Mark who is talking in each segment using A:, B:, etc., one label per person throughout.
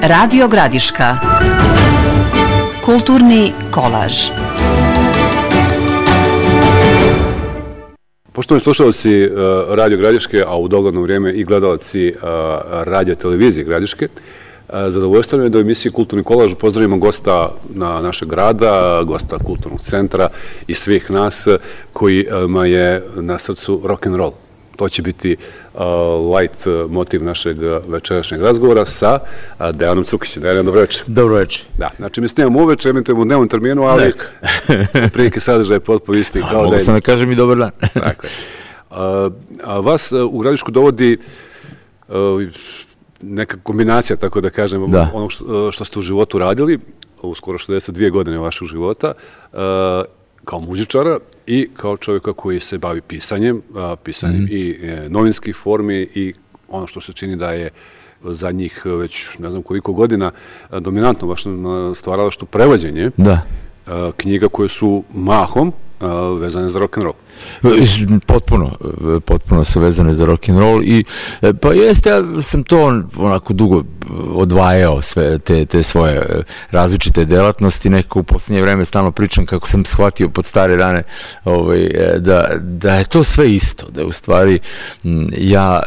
A: Radio Gradiška. Kulturni kolaž.
B: Poštovani slušalci Radio Gradiške, a u dogledno vrijeme i gledalci radio televizije Gradiške, zadovoljstvo je da u emisiji Kulturni kolaž pozdravimo gosta našeg grada, gosta kulturnog centra i svih nas kojima je na srcu rock'n'roll. To će biti light motiv našeg večerašnjeg razgovora sa Dejanom Cukićem. Dejan, dobro večer.
C: Dobro večer.
B: Da, znači mi snimamo uveče, emitujemo u dnevnom terminu, ali prilike sadržaja potpuno isti kao
C: mogu sam da kažem i dobar dan.
B: Tako je. Vas u Gradišku dovodi neka kombinacija, tako da kažem, onog što ste u životu radili, u skoro 62 godine vašeg života, kao muzičara i kao čovjeka koji se bavi pisanjem i novinskih formi i ono što se čini da je za njih već ne znam koliko godina dominantno baš na stvaralaštvu prevođenje knjiga koje su mahom vezane za rock'n'roll.
C: Potpuno su vezane za rock'n'roll i pa jeste, ja sam to onako dugo odvajao sve te svoje različite delatnosti, nekako u posljednje vreme stalno pričam kako sam shvatio pod stare rane da je to sve isto, da je u stvari ja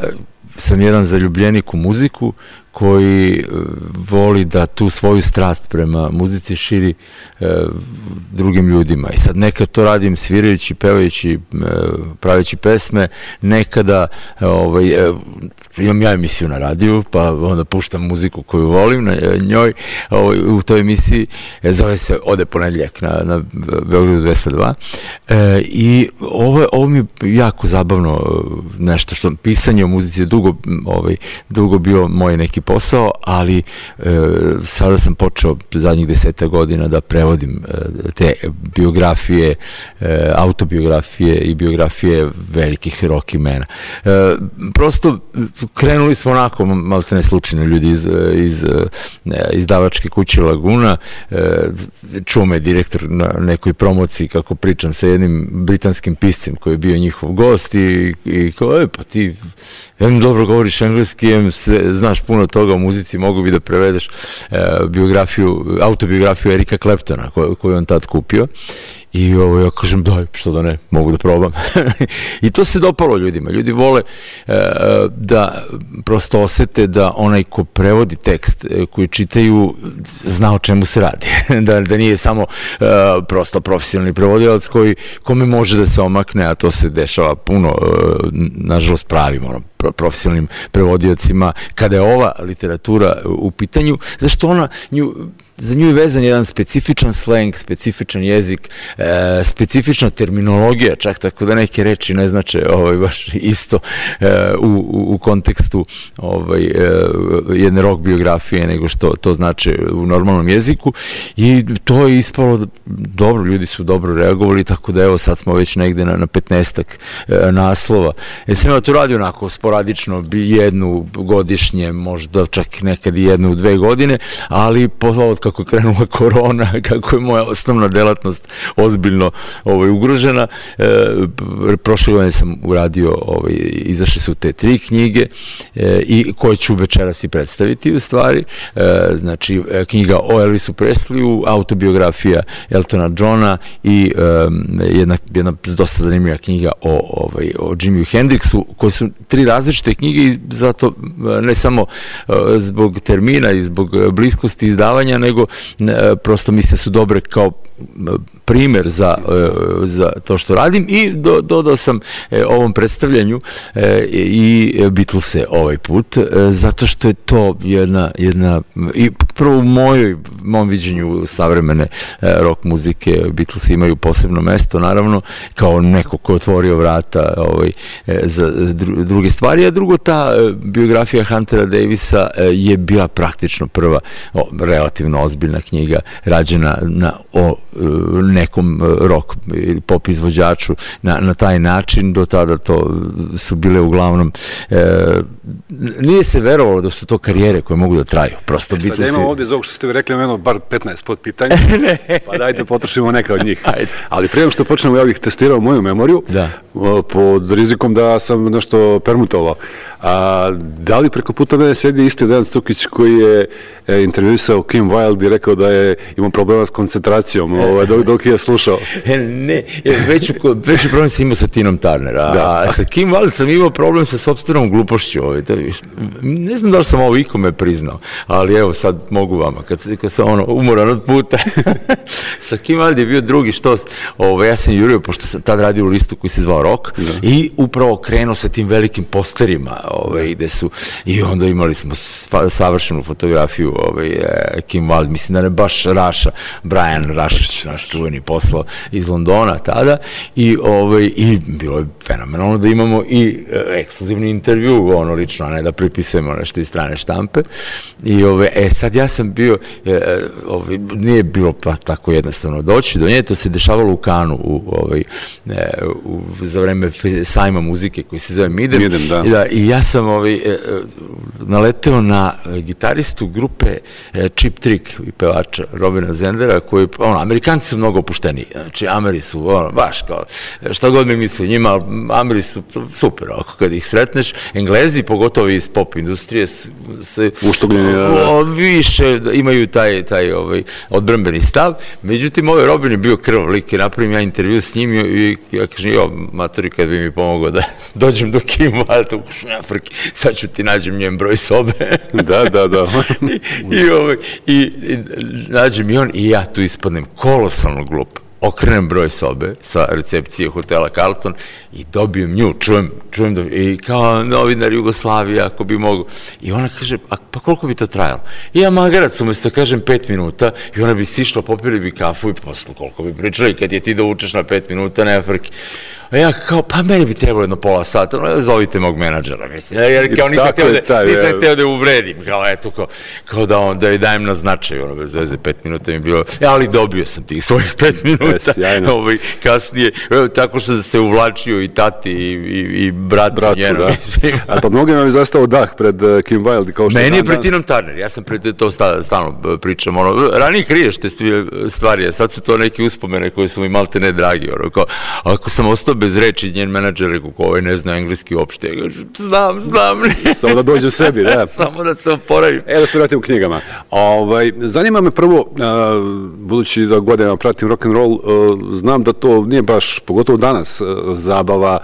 C: sam jedan zaljubljenik u muziku koji voli da tu svoju strast prema muzici širi drugim ljudima. I sad nekad to radim svirajući, pevajući, praveći pesme, nekada imam ja emisiju na radiju, pa onda puštam muziku koju volim na njoj, u toj emisiji, zove se Ode ponedjeljak na Beogradu 202. I ovo mi je jako zabavno nešto što pisanje o muzici je dugo bio moj neki posao, ali sada sam počeo zadnjih 10 godina da prevodim te biografije, autobiografije i biografije velikih rock imena. Prosto krenuli smo onako, maltene slučajno, ljudi iz izdavačke kuće Laguna, čuo me direktor na nekoj promociji kako pričam sa jednim britanskim piscem koji je bio njihov gost i kao, pa ti dobro govoriš engleski, znaš puno toga o muzici, mogu bi da prevedeš autobiografiju Erika Claptona koju on tad kupio. I ja kažem, daj, što da ne, mogu da probam. I to se dopalo ljudima. Ljudi vole da prosto osete da onaj ko prevodi tekst koji čitaju zna o čemu se radi. Da nije samo prosto profesionalni prevodilac kome može da se omakne, a to se dešava puno, nažalost pravim profesionalnim prevodiocima kada je ova literatura u pitanju, zašto za nju je vezan jedan specifičan sleng, specifičan jezik, specifična terminologija, čak tako da neke reči ne znače baš isto u kontekstu jedne rock biografije nego što to znače u normalnom jeziku i to je ispalo dobro, ljudi su dobro reagovali, tako da evo sad smo već negde na 15-ak naslova. Sam ja to radio onako sporadično, jednu godišnje, možda čak nekad i jednu u 2 godine, ali kako je krenula korona, kako je moja osnovna delatnost ozbiljno ugrožena. Prošle godine sam uradio, izašle su te 3 knjige i koje ću večeras i predstaviti u stvari. Znači, knjiga o Elvisu Presleyu, autobiografija Eltona Johna i jedna dosta zanimljiva knjiga o Jimiju Hendrixu, koje su 3 različite knjige i zato ne samo zbog termina i zbog bliskosti izdavanja, nego prosto misle su dobre kao primer za to što radim i dodao sam ovom predstavljanju i Beatlese ovaj put, zato što je to jedna i prvo u mom viđenju savremene rock muzike Beatlesi imaju posebno mesto, naravno, kao neko ko je otvorio vrata za druge stvari, a drugo, ta biografija Huntera Davisa je bila praktično prva relativno stvarno ozbiljna knjiga, rađena o nekom rock ili pop izvođaču na taj način. Do tada to su bile uglavnom, nije se verovalo da su to karijere koje mogu da traju. Prosto
B: sad ja imam ovde za ovog što ste vi rekli, imamo bar 15 podpitanja, pa dajte potrošimo neka od njih. Ali prije nego što počnemo, ja bih testirao moju memoriju, pod rizikom da sam nešto permutovao. Da li preko puta mene sedi isti Dejan Stukić koji je intervjuisao Kim Wilde i rekao da je imao problema s koncentracijom dok je slušao?
C: Ne, veći problem sam imao sa Tinom Turner, a sa Kim Wilde sam imao problem sa sopstvenom glupošću. Ne znam da li sam ovo ikome priznao, ali evo sad mogu vama, kad sam umoran od puta. Sa Kim Wilde je bio drugi štos, ja sam jurio, pošto sam tad radio u listu koji se zvao Rock, i upravo krenuo sa tim velikim posterima, gde su, i onda imali smo savršenu fotografiju Kim Wilde, mislim da ne baš Brian Rašić, naš čuveni, poslao iz Londona tada, i bilo je fenomenalno da imamo i ekskluzivni intervju, lično, a ne da pripisujemo nešto iz strane štampe. I sad ja sam bio, nije bilo tako jednostavno doći do nje, to se dešavalo u Kanu za vreme sajma muzike koji se zove Midem, i ja sam naleteo na gitaristu grupe Cheap Trick i pevača Robina Zendera, koji, Amerikanci su mnogo opušteniji, znači Ameri su, baš kao, šta god mi misli njima, Ameri su super, kad ih sretneš. Englezi, pogotovo iz pop industrije, se više imaju taj odbrambeni stav. Međutim, Robin je bio krv lik i napravim ja intervju s njim i ja kažem, matori, kad bi mi pomogao da dođem do Kim Wilde u Afriki, sad ću ti nađem njen broj sobe.
B: Da.
C: I nađem i on, i ja tu ispadnem kolosalno glup. Okrenem broj sobe sa recepcije hotela Carlton i dobijem nju, čujem da, i kao novinar Jugoslavije, ako bi mogu. I ona kaže, pa koliko bi to trajalo? I ja magarac, umesto kažem 5 minuta, i ona bi sišla, popili bi kafu i posle koliko bi pričali, kad je ti da učeš na 5 minuta, ne frki. A ja kao, pa meni bi trebalo jedno pola sata, zovite mog menadžera, mislim, jer kao nisam hteo da uvredim, kao eto, kao da joj dajem na značaj, bez veze, 5 minuta mi je bilo, ali dobio sam tih svojih 5 minuta, kasnije, tako što se uvlačio i tati i bratu njeno, mislim.
B: A pa mnogima je zastao dah pred Kim Wilde.
C: Meni je pred Tinom Turner, ja sam pred to stalno pričam, ranije kriješ te stvari, a sad su to neke uspomene koje su mi malte ne dragi, ako sam ostao bez reči, njen menadžer rekao, ko ne zna engleski uopšte, ja kažem, znam.
B: Samo da dođe u sebi, da.
C: Samo da se oporavim.
B: Da se vratim u knjigama. Zanima me prvo, budući da godinama pratim rock'n'roll, znam da to nije baš, pogotovo danas, zabava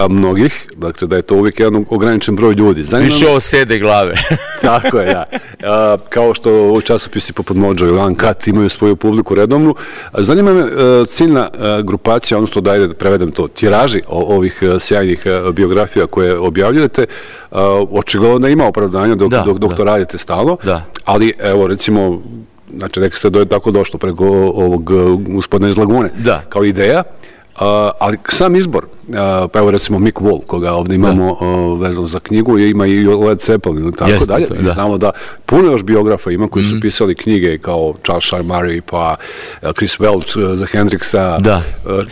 B: mnogih, dakle da je to uvijek jedan ograničen broj ljudi.
C: Više ovo sede glave.
B: Tako je, da. Kao što ovi časopisi poput Mojo ili Uncut imaju svoju publiku redovnu. Zanima me ciljna grupacija, odnosno da prevedem to, tiraži ovih sjajnih biografija koje objavljujete, očigledno da ima opravdanja dok to radite stalno, ali evo recimo, znači rekli ste da je tako došlo preko ovog gospodina iz Lagune, kao ideja. Ali sam izbor, pa evo recimo Mick Wall, koga ovdje imamo vezano za knjigu, ima i Led Zeppelin i tako dalje. Znamo da puno još biografa ima koji su pisali knjige kao Charles Murray, pa Chris Welch za Hendrixa,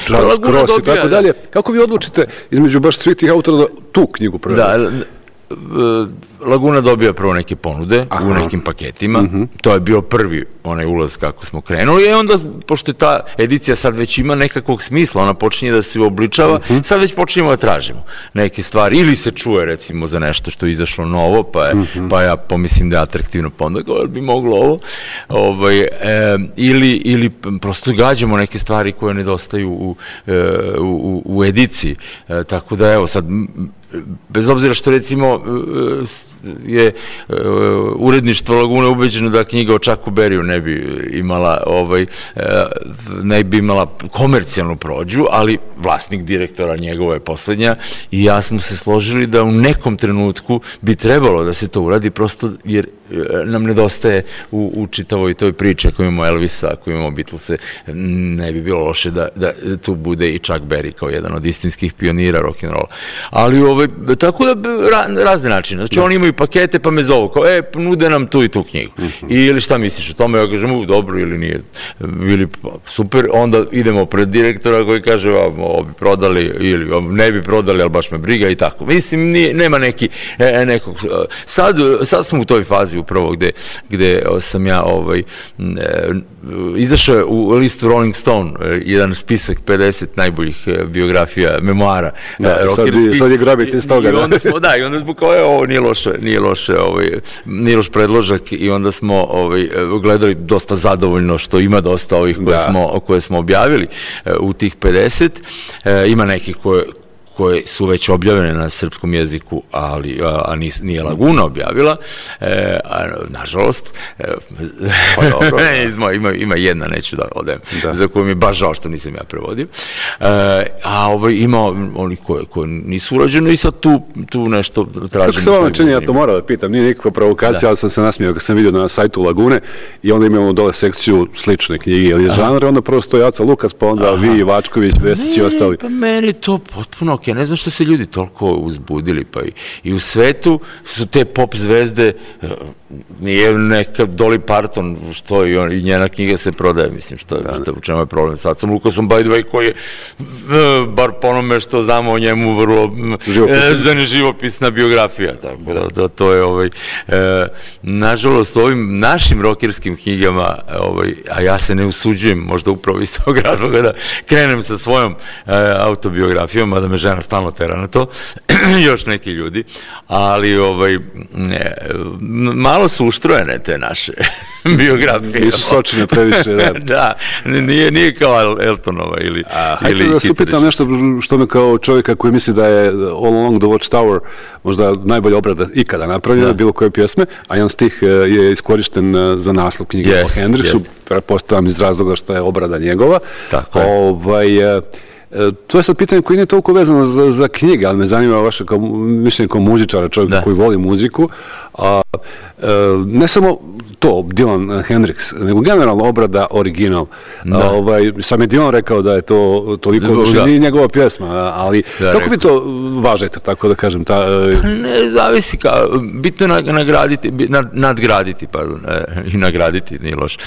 B: Charles Cross i tako dalje. Kako vi odlučite između baš svih tih autora da tu knjigu prevedete?
C: Laguna dobija prvo neke ponude u nekim paketima, to je bio prvi onaj ulaz kako smo krenuli, i onda, pošto je ta edicija sad već ima nekakvog smisla, ona počinje da se obličava, sad već počinjemo da tražimo neke stvari, ili se čuje recimo za nešto što je izašlo novo, pa ja pomislim da je atraktivno, pa onda bi moglo ovo, ili prosto gađamo neke stvari koje nedostaju u ediciji, tako da evo sad, bez obzira što recimo je uredništvo Lagune ubeđeno da knjiga o Chucku Berryu ne bi imala komercijalnu prođu, ali vlasnik direktora njegova je poslednja i ja smo se složili da u nekom trenutku bi trebalo da se to uradi, prosto jer nam nedostaje u čitavoj toj priči. Ako imamo Elvisa, ako imamo Beatlese, ne bi bilo loše da tu bude i Chuck Berry kao jedan od istinskih pionira rock'n'rolla. Ali tako da razne načine. Znači oni imaju imaju pakete pa me zovu, kao nude nam tu i tu knjigu. Ili šta misliš o tome, ja kažem, dobro ili nije, ili super, onda idemo pred direktora koji kaže, ovo bi prodali ili ne bi prodali, ali baš me briga i tako. Mislim, nema nekog, sad smo u toj fazi upravo gde sam ja izašao u listu Rolling Stone, jedan spisak 50 najboljih biografija, memoara rockerskih.
B: Sad je grabiti iz toga.
C: I onda smo kao, ovo nije loš predložak i onda smo gledali dosta zadovoljno što ima dosta ovih koje smo objavili u tih 50. Ima neki koje su već objavljene na srpskom jeziku, a nije Laguna objavila, nažalost. Ima jedna, neću da odem, za koju mi je baš žao što nisam ja prevodio. A ima oni koji nisu urađeni i sad tu nešto tražim.
B: Kako se vama čini, ja to moram da pitam, nije nikakva provokacija, ali sam se nasmijao kad sam vidio na sajtu Lagune i onda imamo dole sekciju slične knjige ili žanre, onda prvo stoji Aca Lukas, pa onda vi, Vačković, Vesić i ostali.
C: Pa meni to potpuno ja ne znam što se ljudi toliko uzbudili, pa i u svetu su te pop zvezde, nije neka Dolly Parton, što i njena knjiga se prodaje, mislim, u čemu je problem. Sad sam Lukasom, by the way, koji je, bar po onome što znamo o njemu, vrlo živopisna biografija, tako da to je, nažalost, u ovim našim rokerskim knjigama, a ja se ne usuđujem, možda upravo iz tog razloga da krenem sa svojom autobiografijom, mada me žena stalno tera na to, još neki ljudi, ali malo su uštrojene te naše biografije.
B: Nisu sočine previše, da.
C: Da, nije kao Eltonova ili
B: hajde da se upitam nešto što me kao čovjeka koji misli da je All Along the Watchtower možda najbolja obrada ikada napravljena, bilo koje pjesme, a jedan stih je iskorišten za naslov knjige o Hendrixu, pretpostavljam iz razloga što je obrada njegova.
C: Tako je.
B: To je sad pitanje koje nije toliko vezano za knjige, ali me zanima vaše mišljenje kao muzičara, čovjeka koji voli muziku. Ne samo to, Dylan Hendrix, nego generalno obrada original. Sam je Dylan rekao da je to toliko, nije njegova pjesma, ali kako vi to važete, tako da kažem?
C: Ne, zavisi, bitno je nadgraditi, i nagraditi, nije loše,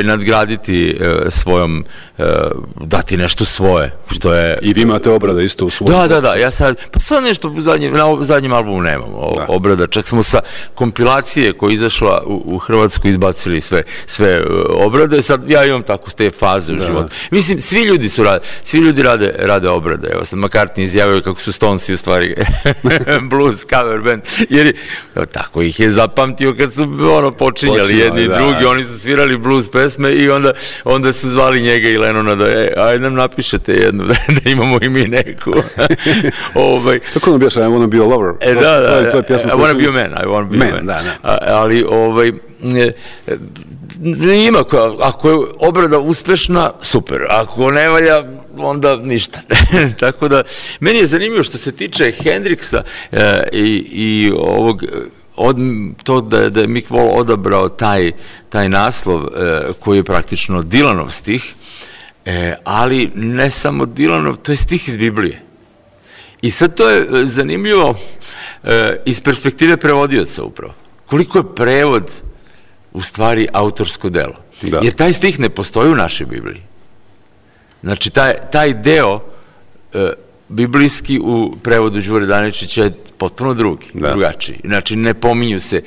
C: nadgraditi svojom, dati nešto svoje, što je...
B: I vi imate obrada isto u svojom?
C: Da, ja sad nešto na zadnjem albumu nemamo obrada, čak smo sa kompilacije koja je izašla u Hrvatsku izbacili sve obrade, sad ja imam tako te faze u životu. Mislim, svi ljudi rade obrade, evo sad McCartney izjavio kako su Stonesi u stvari blues cover band, jer tako ih je zapamtio kad su počinjali jedni i drugi, oni su svirali blues pesme i onda su zvali njega i Lennona da ajde nam napišete jednu, da imamo i mi neku.
B: Kako nam bijaš, I wanna be a lover?
C: I wanna be a man, I wanna be a man. Ali ima, ako je obrada uspešna, super, ako ne valja, onda ništa. Tako da, meni je zanimljivo što se tiče Hendrixa i ovog, to da je Mick Wall odabrao taj naslov koji je praktično Dylanov stih, ali ne samo Dylanov, to je stih iz Biblije. I sad to je zanimljivo iz perspektive prevodioca upravo. Koliko je prevod u stvari autorsko delo. Jer taj stih ne postoji u našoj Bibliji. Znači, taj deo biblijski u prevodu Đure Daničića je potpuno drugačiji. Znači, ne pominju se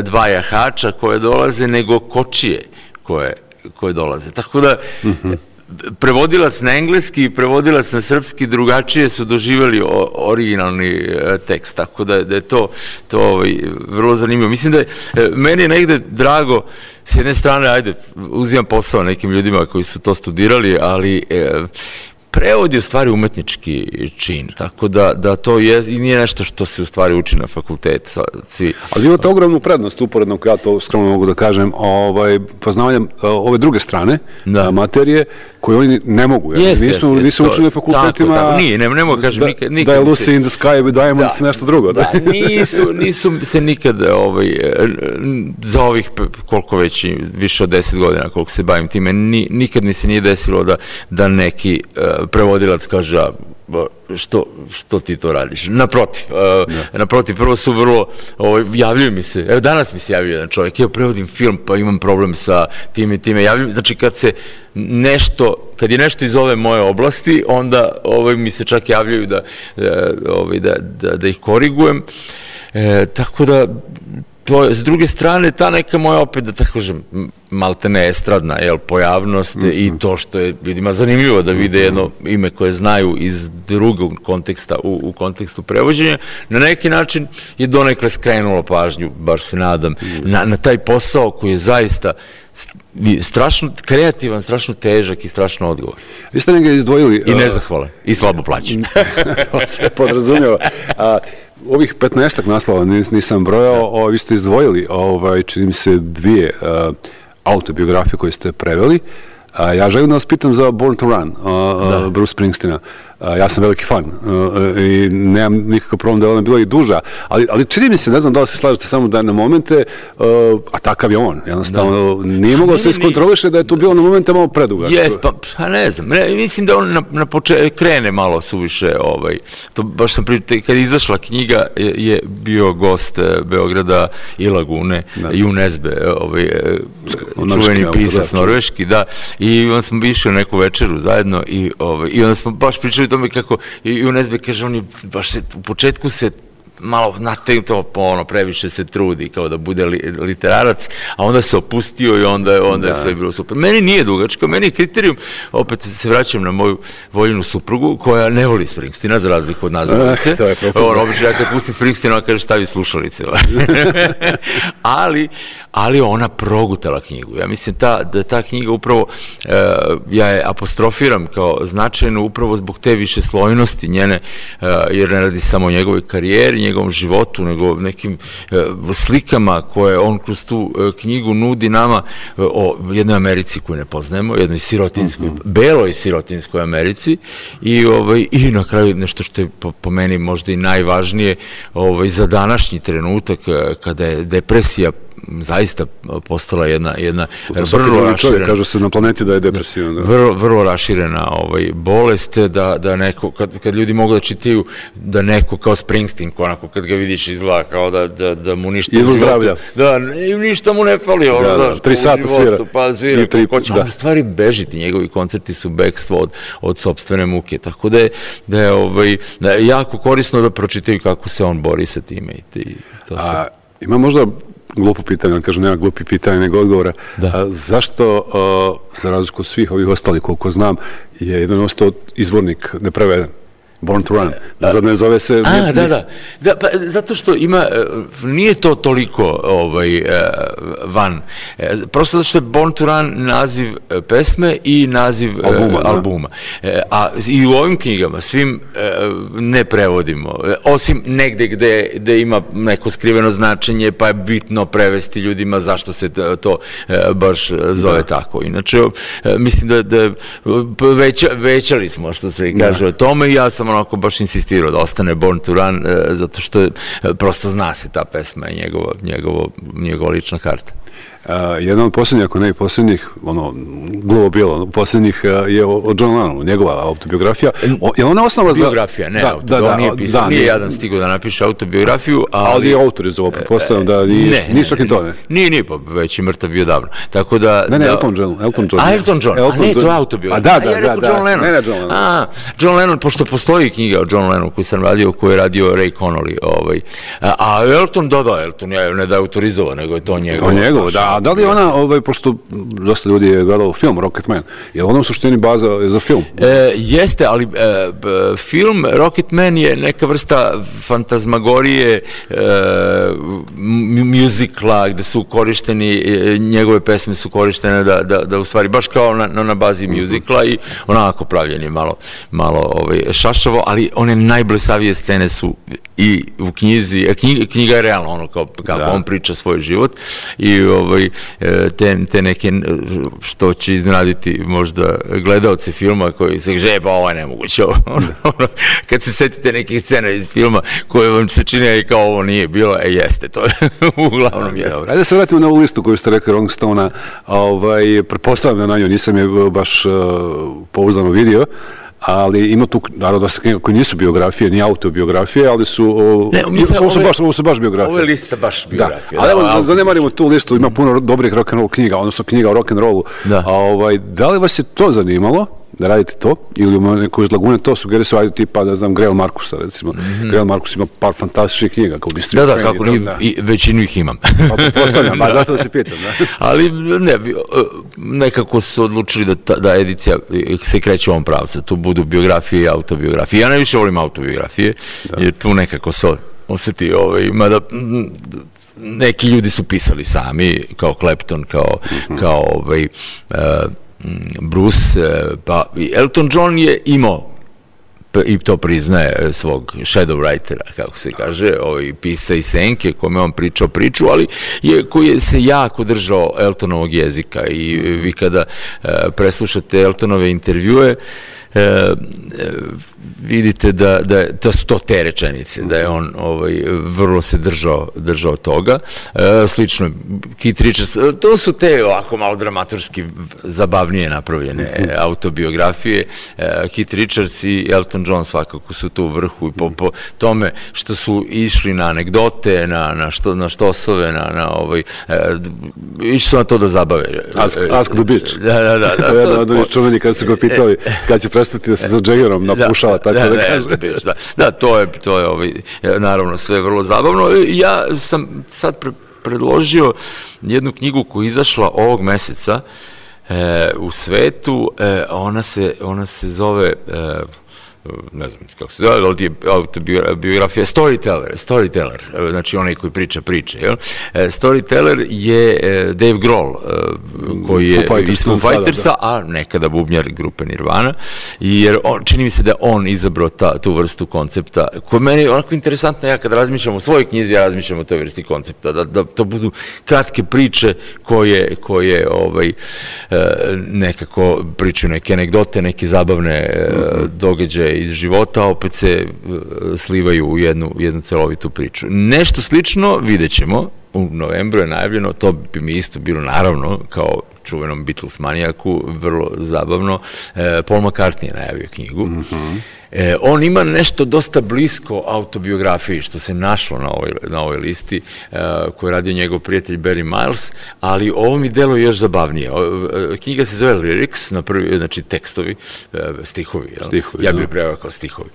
C: dva jahača koje dolaze, nego kočije koje dolaze. Tako da, prevodilac na engleski i prevodilac na srpski drugačije su doživjeli originalni tekst, tako da je to vrlo zanimljivo. Mislim da je meni negde drago, s jedne strane, uzimam posao nekim ljudima koji su to studirali, ali prevod je u stvari umetnički čin, tako da to je i nije nešto što se u stvari uči na fakultetu.
B: Ali imate ogromnu prednost, uporedno, ja to skromno mogu da kažem, poznavanjem ove druge strane materije, koje oni ne mogu. Nisu učili na fakultetima.
C: Tako, nije, ne mogu kažem nikad.
B: Da je Lucy in the Sky with Diamonds nešto drugo.
C: Da, nisu se nikad za ovih koliko već, više od 10 godina koliko se bavim time, nikad mi se nije desilo da neki prevodilac kaže što ti to radiš? Naprotiv, prvo su vrlo, javljaju mi se, evo danas mi se javio jedan čovjek, prevodim film, pa imam problem sa tim i time, javljaju, znači kad je nešto iz ove moje oblasti, onda mi se čak javljaju da ih korigujem, tako da, s druge strane, ta neka moja, opet da tako kažem, maltene estradna pojavnost i to što je ljudima zanimljivo da vide jedno ime koje znaju iz drugog konteksta u kontekstu prevođenja, na neki način je donekle skrenulo pažnju, baš se nadam, na taj posao koji je zaista strašno kreativan, strašno težak i strašno odgovor.
B: Vi ste negdje izdvojili...
C: I nezahvalan, i slabo plaćen.
B: To se podrazumijeva. Ovih 15 naslova nisam brojao, vi ste izdvojili, čini mi se, 2 autobiografije koje ste preveli. Ja želim da vas pitam za Born to Run, Bruce Springsteena. Ja sam veliki fan i nemam nikakav problem da je ona bila i duža, ali čini mi se, ne znam da li se slažete samo da je na momente, a takav je on, jednostavno nije mogao se iskontroliše da je to bilo na momente malo predugačko.
C: Jes, pa ne znam, mislim da on na početku krene malo suviše, to baš sam pričao, kad je izašla knjiga je bio gost Beograda i Lagune, Jun Esbe, čuveni pisac norveški, da, i onda smo išli na neku večeru zajedno i onda smo baš pričali o tome kako Jun Esbe kaže, on je baš u početku se malo nategnuto, previše se trudi kao da bude literarac, a onda se opustio i onda je sve bilo super. Meni nije dugačka, meni je kriterijum, opet se vraćam na moju voljenu suprugu, koja ne voli Springsteena, za razliku od nas dvojice. Obično, ja kad pustim Springsteena, ona kaže stavi slušalice. Ali ona progutala knjigu. Ja mislim da ta knjiga upravo, ja je apostrofiram kao značajno upravo zbog te višeslojnosti njene, jer ne radi samo o njegovoj karijeri, njegovom životu, nego nekim slikama koje on kroz tu knjigu nudi nama o jednoj Americi koju ne poznajemo, jednoj sirotinskoj, beloj sirotinskoj Americi i na kraju nešto što je po meni možda i najvažnije za današnji trenutak kada je depresija zaista postala jedna vrlo raširena...
B: Kaže se na planeti da je depresivan.
C: Vrlo raširena bolest, da neko, kad ljudi mogu da čitaju, da neko kao Springsteen, onako kad ga vidiš izgleda kao da mu ništa...
B: Idu zdravlja.
C: Da, ništa mu ne fali,
B: 3 sata svira.
C: Pa svira, on u stvari bežiti, njegovi koncerti su bekstvo od sopstvene muke, tako da je jako korisno da pročitaju kako se on bori sa time i to sve.
B: Ima možda glupo pitanje, on kaže nema glupi pitanja nego odgovora. Zašto, za razliku od svih ovih ostalih, koliko znam, je jedan ostao izvornik nepreveden? Born to Run. Ne zove se...
C: Da, pa zato što nije to toliko van. Prosto zato što je Born to Run naziv pesme i naziv albuma. A i u ovim knjigama svim ne prevodimo. Osim negde gde ima neko skriveno značenje, pa je bitno prevesti ljudima zašto se to baš zove tako. Inače, mislim da većali smo, što se kaže o tome, i ja sam onako baš insistirao da ostane Born to Run, zato što prosto zna se ta pesma i njegova lična karta.
B: Jedna od posljednjih, ako ne i posljednjih, glupo bilo, posljednjih je o John Lennonu, njegova autobiografija. Je ona osnova za...
C: Biografija, ne autobiografija, nije pisao, nije jedan stigao da napiše autobiografiju,
B: ali je autor iz ovo, pretpostavljam da nije čak i to, ne?
C: Nije, pa već je mrtav bio davno, tako da...
B: Ne, Elton John.
C: Elton John, a ne, to je autobiografija.
B: Da,
C: ja rekao John Lennon.
B: Ne, John Lennon.
C: John Lennon, pošto postoji knjiga o John Lennonu koju sam radio, koju je radio Ray Connolly, a Elton, Elton je ne da je autorizovao, nego je to njegovo.
B: Da li je ona, pošto dosta ljudi je gledalo film Rocketman, je ona u suštini baza za film?
C: Jeste, ali film Rocketman je neka vrsta fantazmagorije, muzikla, gde su korišteni, njegove pesme su korištene da u stvari, baš kao na bazi muzikla i onako pravljeni malo šašavo, ali one najblesavije scene su i u knjizi, knjiga je realno ono kako on priča svoj život i te neke, što će iznenaditi možda gledaoce filma koji se kaže, pa ovo je nemoguće, kad se setite nekih scena iz filma koje vam se čine kao ovo nije bilo, jeste, to uglavnom jeste.
B: Ajde da se vratimo na ovu listu koju ste rekli Rolling Stone-a, pretpostavljam na nju, nisam je baš pouzdano vidio, ali ima tu, naravno, dosta knjiga koji nisu biografije, ni autobiografije, ali su, ovo su baš biografije.
C: Ovo je lista baš biografije.
B: Ali evo, zanemarimo tu listu, ima puno dobrih rock'n'roll knjiga, odnosno knjiga o rock'n'rollu. Da li vas je to zanimalo, da radite to, ili neko iz Lagune to sugerira se raditi tipa, da znam, Grail Markusa, recimo. Grail Markus ima par fantastičnih knjiga, kao District
C: Train. Da, kako i većinu ih imam.
B: Postavljam, zato da se pitam, da.
C: Ali ne, nekako su odlučili da edicija se kreće u ovom pravcu, tu budu biografije i autobiografije. Ja najviše volim autobiografije, jer tu nekako se osjeti, mada neki ljudi su pisali sami, kao Clapton, kao Bruce, pa Elton John je imao, i to priznaje, svog shadow writera, kako se kaže, pisa i senke, kome on pričao priču, ali koji se jako držao Eltonovog jezika i vi kada preslušate Eltonove intervjue, vidite da su to te rečenice, da je on vrlo se držao toga. Slično, Keith Richards, to su te ovako malo dramaturski zabavnije napravljene autobiografije. Keith Richards i Elton John svakako su tu u vrhu i po tome što su išli na anegdote, na štosove, išli su na to da zabave.
B: Ask the bitch.
C: Da.
B: To je jedan od onih čuveni kada su ga pitali kad će prestati da se za Jaggerom napušava, tako da kaže.
C: Da, to je naravno sve vrlo zabavno. Ja sam sad predložio jednu knjigu koja je izašla ovog meseca u svetu, ona se zove, ne znam kako se zove, ali je autobiografija Storyteller, znači onaj koji priča priče. Storyteller je Dave Grohl, koji je iz Foo Fightersa, a nekada bubnjar grupe Nirvana, jer čini mi se da je on izabrao tu vrstu koncepta, koja meni je onako interesantna. Ja kad razmišljam o svojoj knjizi, ja razmišljam o toj vrsti koncepta, da to budu kratke priče koje nekako pričaju neke anegdote, neke zabavne događaje iz života, opet se slivaju u jednu celovitu priču. Nešto slično vidjet ćemo, u novembru je najavljeno, to bi mi isto bilo naravno, kao čuvenom Beatles manijaku, vrlo zabavno. Paul McCartney je najavio knjigu. On ima nešto dosta blisko autobiografiji, što se našlo na ovoj listi, koju je radio njegov prijatelj Barry Miles, ali ovo mi deluje još zabavnije. Knjiga se zove Lyrics, znači tekstovi, stihovi. Ja bih preveo kao stihovi.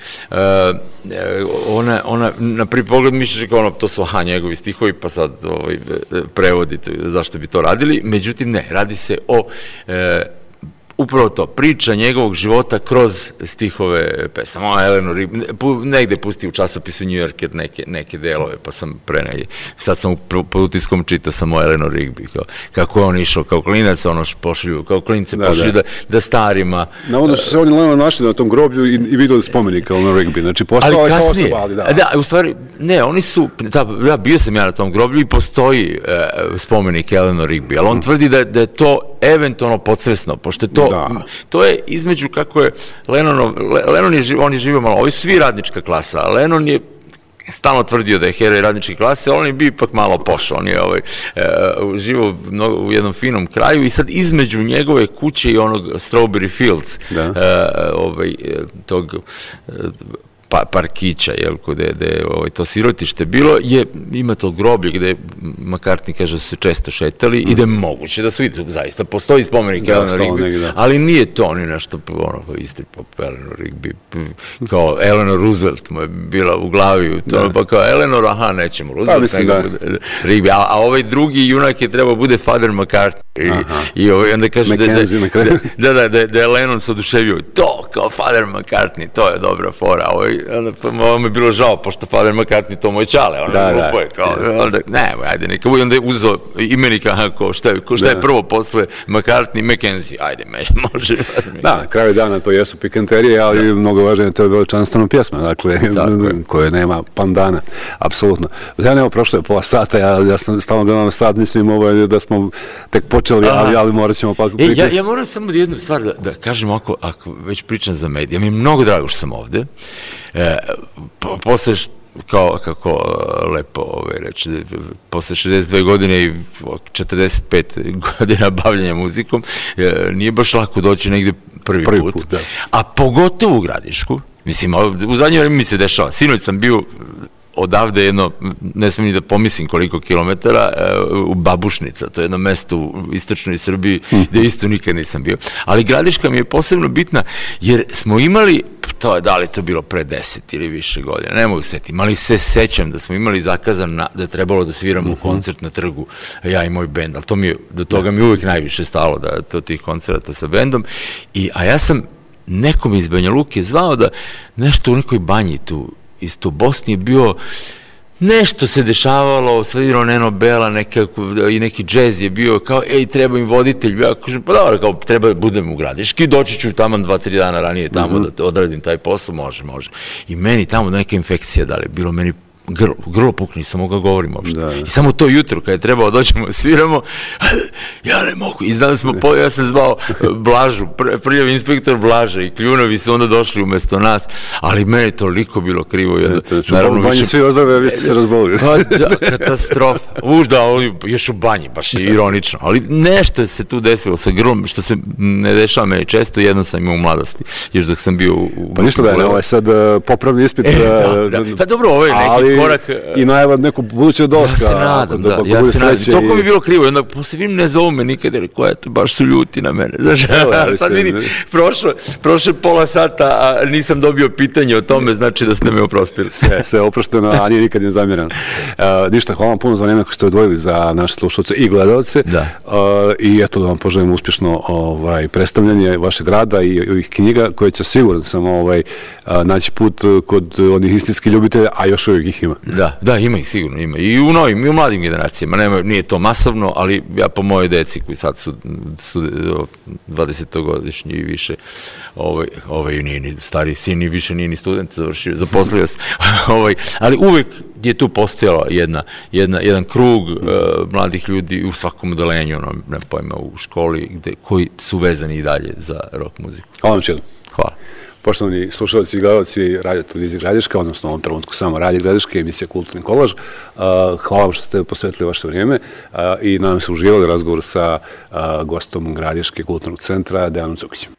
C: Ona na prvi pogled misliš kao to su njegovi stihovi, pa sad prevodite zašto bi to radili, međutim ne, radi se o upravo to, priča njegovog života kroz stihove pesama. Eleanor Rigby, negde pusti u časopisu New Yorker neke delove, pa sam sad sam pod utiskom čitao sam o Eleanor Rigby, kako je on išao kao klinac, kao klinice pošli da starima...
B: Navodno su se oni Lennon našli na tom groblju i videli spomenik Eleanor Rigby, znači postao je kao osoba, ali da.
C: Da, u stvari, ne, oni su, bio sam ja na tom groblju i postoji spomenik Eleanor Rigby, ali on tvrdi da je to eventualno podsvesno, pošto je to je između kako je Lennon on je živio malo, ovi su svi radnička klasa, a Lennon je stalno tvrdio da je heroj radničke klase, on je bio ipak malo pošao, on je živio u jednom finom kraju i sad između njegove kuće i onog Strawberry Fields, tog parkića, gde to sirotište bilo, ima to groblje gde McCartney kaže da su se često šetali i da je moguće da su vidjeli, zaista postoji spomenik Eleanor Rigby, ali nije to ni nešto isti pop Eleanor Rigby, kao Eleanor Roosevelt mu je bila u glavi, pa kao Eleanor, nećemo Roosevelt, nego Rigby, a ovaj drugi junak je trebao bude Father McCartney i onda kaže da je Lennon se oduševio, to kao Father McCartney, to je dobra fora, ovo mi je bilo žao, pošto Father McCartney to moj čale, glupo je, ajde, neka bude, onda je uzeo imenika, šta je prvo posle McCartney, McKenzie, ajde, može.
B: Da, na kraju dana to jesu pikanterije, ali mnogo važnije, to je veličanstvena pjesma, dakle, koje nema pandana, apsolutno. Ja nema, prošlo je pola sata, ja sam stalno gledao na sat, mislim da smo tek počeli, ali morat ćemo pa...
C: Ja moram samo jednu stvar da kažem, ako već pričam za medije, mi je mnogo drago što sam ovde, posle, kako lepo reći, posle 62 godine i 45 godina bavljanja muzikom, nije baš lako doći negde prvi put.
B: Da.
C: A pogotovo u Gradišku, mislim, u zadnje vreme mi se dešava, sinoć sam bio odavde jedno, ne smijem ni da pomislim koliko kilometara, u Babušnica, to je jedno mesto u istočnoj Srbiji gde isto nikad nisam bio. Ali Gradiška mi je posebno bitna jer smo imali, da li to bilo pre 10 ili više godina, ne mogu setiti, ali se sećam da smo imali zakazan da je trebalo da sviramo koncert na trgu, ja i moj bend, ali do toga mi uvijek najviše stalo, da tih koncerata sa bendom, a ja sam nekom iz Banja Luke zvao da nešto u nekoj banji tu, isto u Bosni je bio, nešto se dešavalo, svirao Neno Bela, i neki džez je bio, kao, treba im voditelj, ja kažem, pa dobro, kao, treba da budem u Gradiški, doći ću tamo 2-3 dana ranije tamo da odradim taj posao, može. I meni tamo neka infekcija dali, bilo meni grlo pukne, nisam mogao govorim uopšte. I samo to jutro, kada je trebalo doćemo, sviramo, ja ne mogu. I znam ja sam zvao Blažu, prljav inspektor Blaža i Kljunovi su onda došli umesto nas, ali meni toliko bilo krivo.
B: U banji svi ozdrave, a vi ste se razbolili.
C: Katastrofa. Još u banji, baš je ironično. Ali nešto se tu desilo sa grlom, što se ne dešava meni često, jednom sam imao u mladosti, još dok sam bio u...
B: Pa ništa da je, ovo je sad popravni ispit.
C: Pa dobro, ovo je neki korak...
B: I najava neku buduću dolaska.
C: Ja se nadam, toliko mi je bilo krivo, i onda posle vidim, ne zovu me nikad, jer koja to, baš su ljuti na mene, znaš, sad vidim, prošle pola sata, a nisam dobio pitanje o tome, znači da ste me oprostili.
B: Sve oprošteno, a nije nikad ne zamjeran. Ništa, hvala vam puno za vreme koje ste odvojili za naše slušalce i gledalce, i eto da vam poželim uspješno predstavljanje vašeg rada i ovih knjiga, koje će siguran sam naći put kod onih istinskih ljubitelja, a još uvijek ih ima.
C: Da, ima ih, sigurno ima. I u novim, i u mladim generacijama. Nije to masovno, ali ja po mojoj deci koji sad su 20-godišnji i više, nije ni stari sin, ni više nije ni student, zaposlio se. Ali uvek je tu postojala jedan krug mladih ljudi u svakom odelenju, ne pojma, u školi, koji su vezani i dalje za rock muziku.
B: Hvala vam čedom.
C: Hvala.
B: Poštovani slušalci i gledalci Radio televizije Gradiška, odnosno u ovom trenutku samo Radio Gradiška, emisija Kulturni kolaž. Hvala vam što ste posvetili vaše vrijeme i nadam se uživali razgovor sa gostom Gradiške kulturnog centra, Dejanom Cukićem.